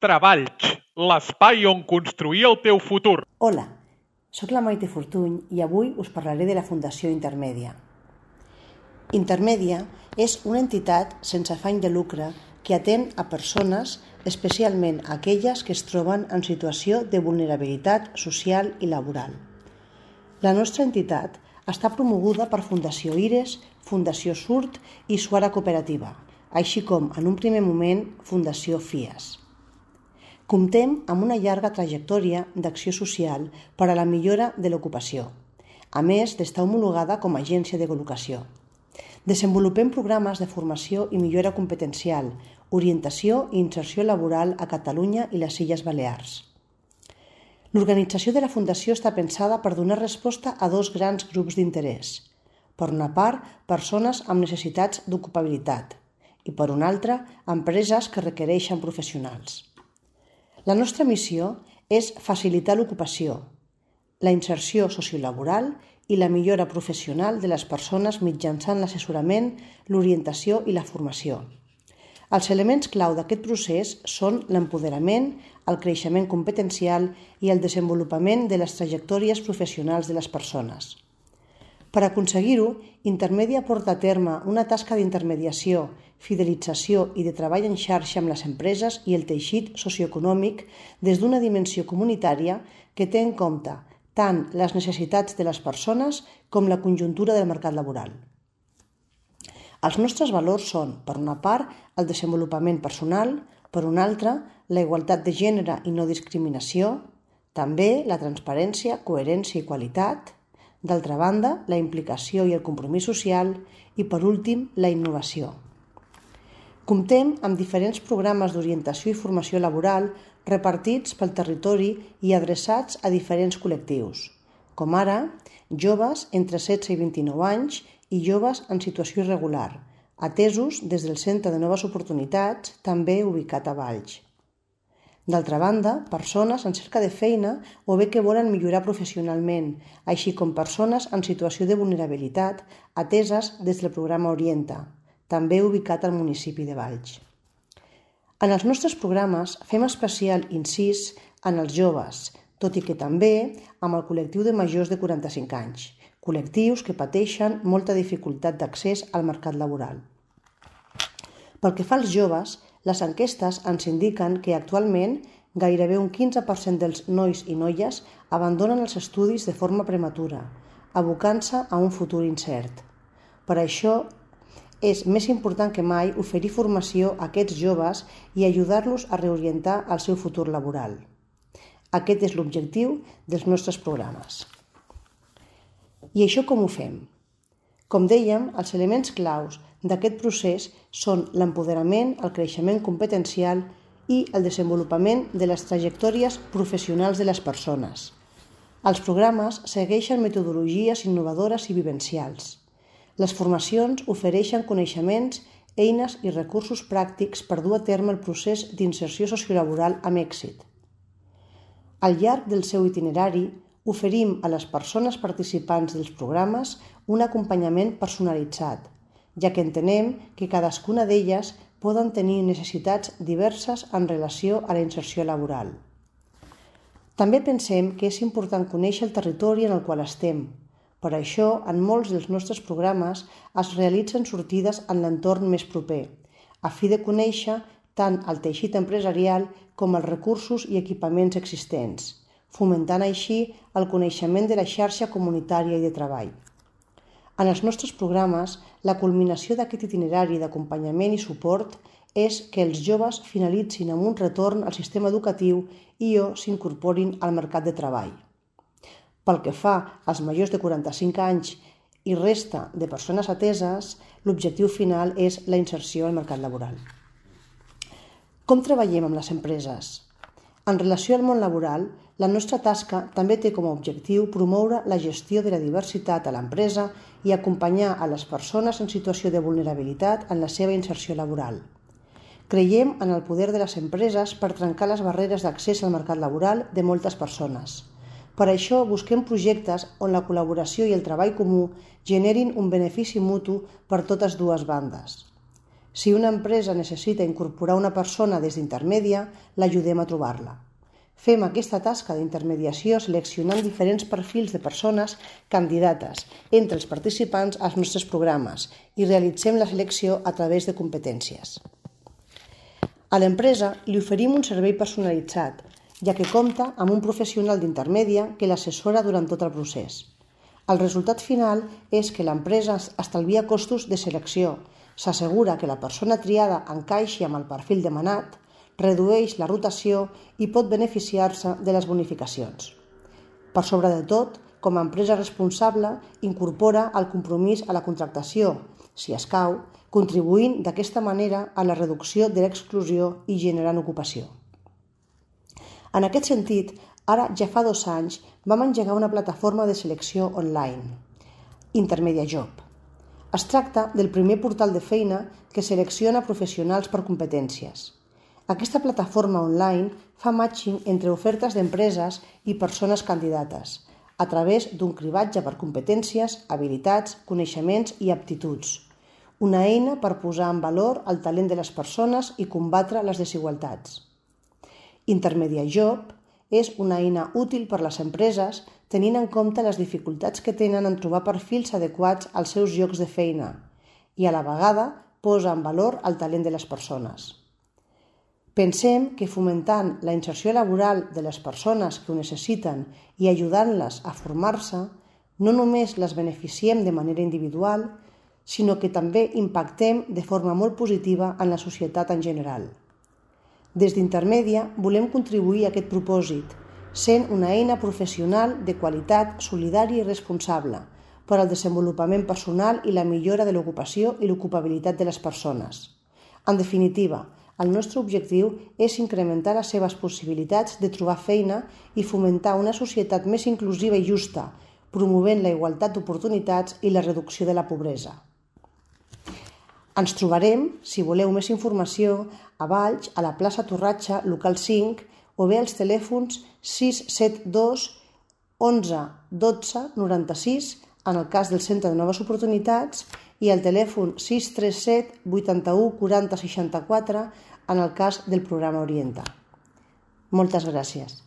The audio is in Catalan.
Treballs, l'espai on construir el teu futur. Hola, sóc la Maite Fortuny i avui us parlaré de la Fundació Intermèdia. Intermèdia és una entitat sense afany de lucre que atén a persones, especialment aquelles que es troben en situació de vulnerabilitat social i laboral. La nostra entitat està promoguda per Fundació IRES, Fundació SURT i Suara Cooperativa, així com, en un primer moment, Fundació FIAS. Comptem amb una llarga trajectòria d'acció social per a la millora de l'ocupació, a més d'estar homologada com a agència de col·locació. Desenvolupem programes de formació i millora competencial, orientació i inserció laboral a Catalunya i les Illes Balears. L'organització de la Fundació està pensada per donar resposta a dos grans grups d'interès. Per una part, persones amb necessitats d'ocupabilitat i, per una altra, empreses que requereixen professionals. La nostra missió és facilitar l'ocupació, la inserció sociolaboral i la millora professional de les persones mitjançant l'assessorament, l'orientació i la formació. Els elements clau d'aquest procés són l'empoderament, el creixement competencial i el desenvolupament de les trajectòries professionals de les persones. Per aconseguir-ho, Intermèdia porta a terme una tasca d'intermediació, fidelització i de treball en xarxa amb les empreses i el teixit socioeconòmic des d'una dimensió comunitària que té en compte tant les necessitats de les persones com la conjuntura del mercat laboral. Els nostres valors són, per una part, el desenvolupament personal, per una altra, la igualtat de gènere i no discriminació, també la transparència, coherència i qualitat, d'altra banda, la implicació i el compromís social i, per últim, la innovació. Comptem amb diferents programes d'orientació i formació laboral repartits pel territori i adreçats a diferents col·lectius, com ara joves entre 16 i 29 anys i joves en situació irregular, atesos des del Centre de Noves Oportunitats, també ubicat a Valls. D'altra banda, persones en cerca de feina o bé que volen millorar professionalment, així com persones en situació de vulnerabilitat ateses des del programa Orienta, també ubicat al municipi de Valls. En els nostres programes fem especial incís en els joves, tot i que també amb el col·lectiu de majors de 45 anys, col·lectius que pateixen molta dificultat d'accés al mercat laboral. Pel que fa als joves, les enquestes ens indiquen que actualment gairebé un 15% dels nois i noies abandonen els estudis de forma prematura, abocant-se a un futur incert. Per això és més important que mai oferir formació a aquests joves i ajudar-los a reorientar el seu futur laboral. Aquest és l'objectiu dels nostres programes. I això com ho fem? Com dèiem, els elements claus d'aquest procés són l'empoderament, el creixement competencial i el desenvolupament de les trajectòries professionals de les persones. Els programes segueixen metodologies innovadores i vivencials. Les formacions ofereixen coneixements, eines i recursos pràctics per dur a terme el procés d'inserció sociolaboral amb èxit. Al llarg del seu itinerari, oferim a les persones participants dels programes un acompanyament personalitzat, ja que entenem que cadascuna d'elles poden tenir necessitats diverses en relació a la inserció laboral. També pensem que és important conèixer el territori en el qual estem. Per això, en molts dels nostres programes es realitzen sortides en l'entorn més proper, a fi de conèixer tant el teixit empresarial com els recursos i equipaments existents, fomentant així el coneixement de la xarxa comunitària i de treball. En els nostres programes, la culminació d'aquest itinerari d'acompanyament i suport és que els joves finalitzin amb un retorn al sistema educatiu i o s'incorporin al mercat de treball. Pel que fa als majors de 45 anys i resta de persones ateses, l'objectiu final és la inserció al mercat laboral. Com treballem amb les empreses? En relació al món laboral, la nostra tasca també té com a objectiu promoure la gestió de la diversitat a l'empresa i acompanyar a les persones en situació de vulnerabilitat en la seva inserció laboral. Creiem en el poder de les empreses per trencar les barreres d'accés al mercat laboral de moltes persones. Per això busquem projectes on la col·laboració i el treball comú generin un benefici mutu per totes dues bandes. Si una empresa necessita incorporar una persona des d'intermèdia, l'ajudem a trobar-la. Fem aquesta tasca d'intermediació seleccionant diferents perfils de persones candidates entre els participants als nostres programes i realitzem la selecció a través de competències. A l'empresa li oferim un servei personalitzat, ja que compta amb un professional d'intermèdia que l'assessora durant tot el procés. El resultat final és que l'empresa estalvia costos de selecció, s'assegura que la persona triada encaixi amb el perfil demanat, redueix la rotació i pot beneficiar-se de les bonificacions. Per sobre de tot, com a empresa responsable, incorpora el compromís a la contractació, si escau, contribuint d'aquesta manera a la reducció de l'exclusió i generant ocupació. En aquest sentit, ara ja fa 2 anys vam engegar una plataforma de selecció online, IntermediaJob. Es tracta del primer portal de feina que selecciona professionals per competències. Aquesta plataforma online fa matching entre ofertes d'empreses i persones candidates, a través d'un cribatge per competències, habilitats, coneixements i aptituds. Una eina per posar en valor el talent de les persones i combatre les desigualtats. IntermediaJob és una eina útil per a les empreses tenint en compte les dificultats que tenen en trobar perfils adequats als seus llocs de feina i a la vegada posa en valor el talent de les persones. Pensem que fomentant la inserció laboral de les persones que ho necessiten i ajudant-les a formar-se, no només les beneficiem de manera individual, sinó que també impactem de forma molt positiva en la societat en general. Des d'Intermèdia volem contribuir a aquest propòsit, sent una eina professional de qualitat, solidària i responsable per al desenvolupament personal i la millora de l'ocupació i l'ocupabilitat de les persones. En definitiva, el nostre objectiu és incrementar les seves possibilitats de trobar feina i fomentar una societat més inclusiva i justa, promovent la igualtat d'oportunitats i la reducció de la pobresa. Ens trobarem, si voleu més informació, a Valls, a la plaça Torratxa, local 5, o bé als telèfons 672 11 12 96 en el cas del Centre de Noves Oportunitats i al telèfon 637 81 40 64 en el cas del programa Orienta. Moltes gràcies.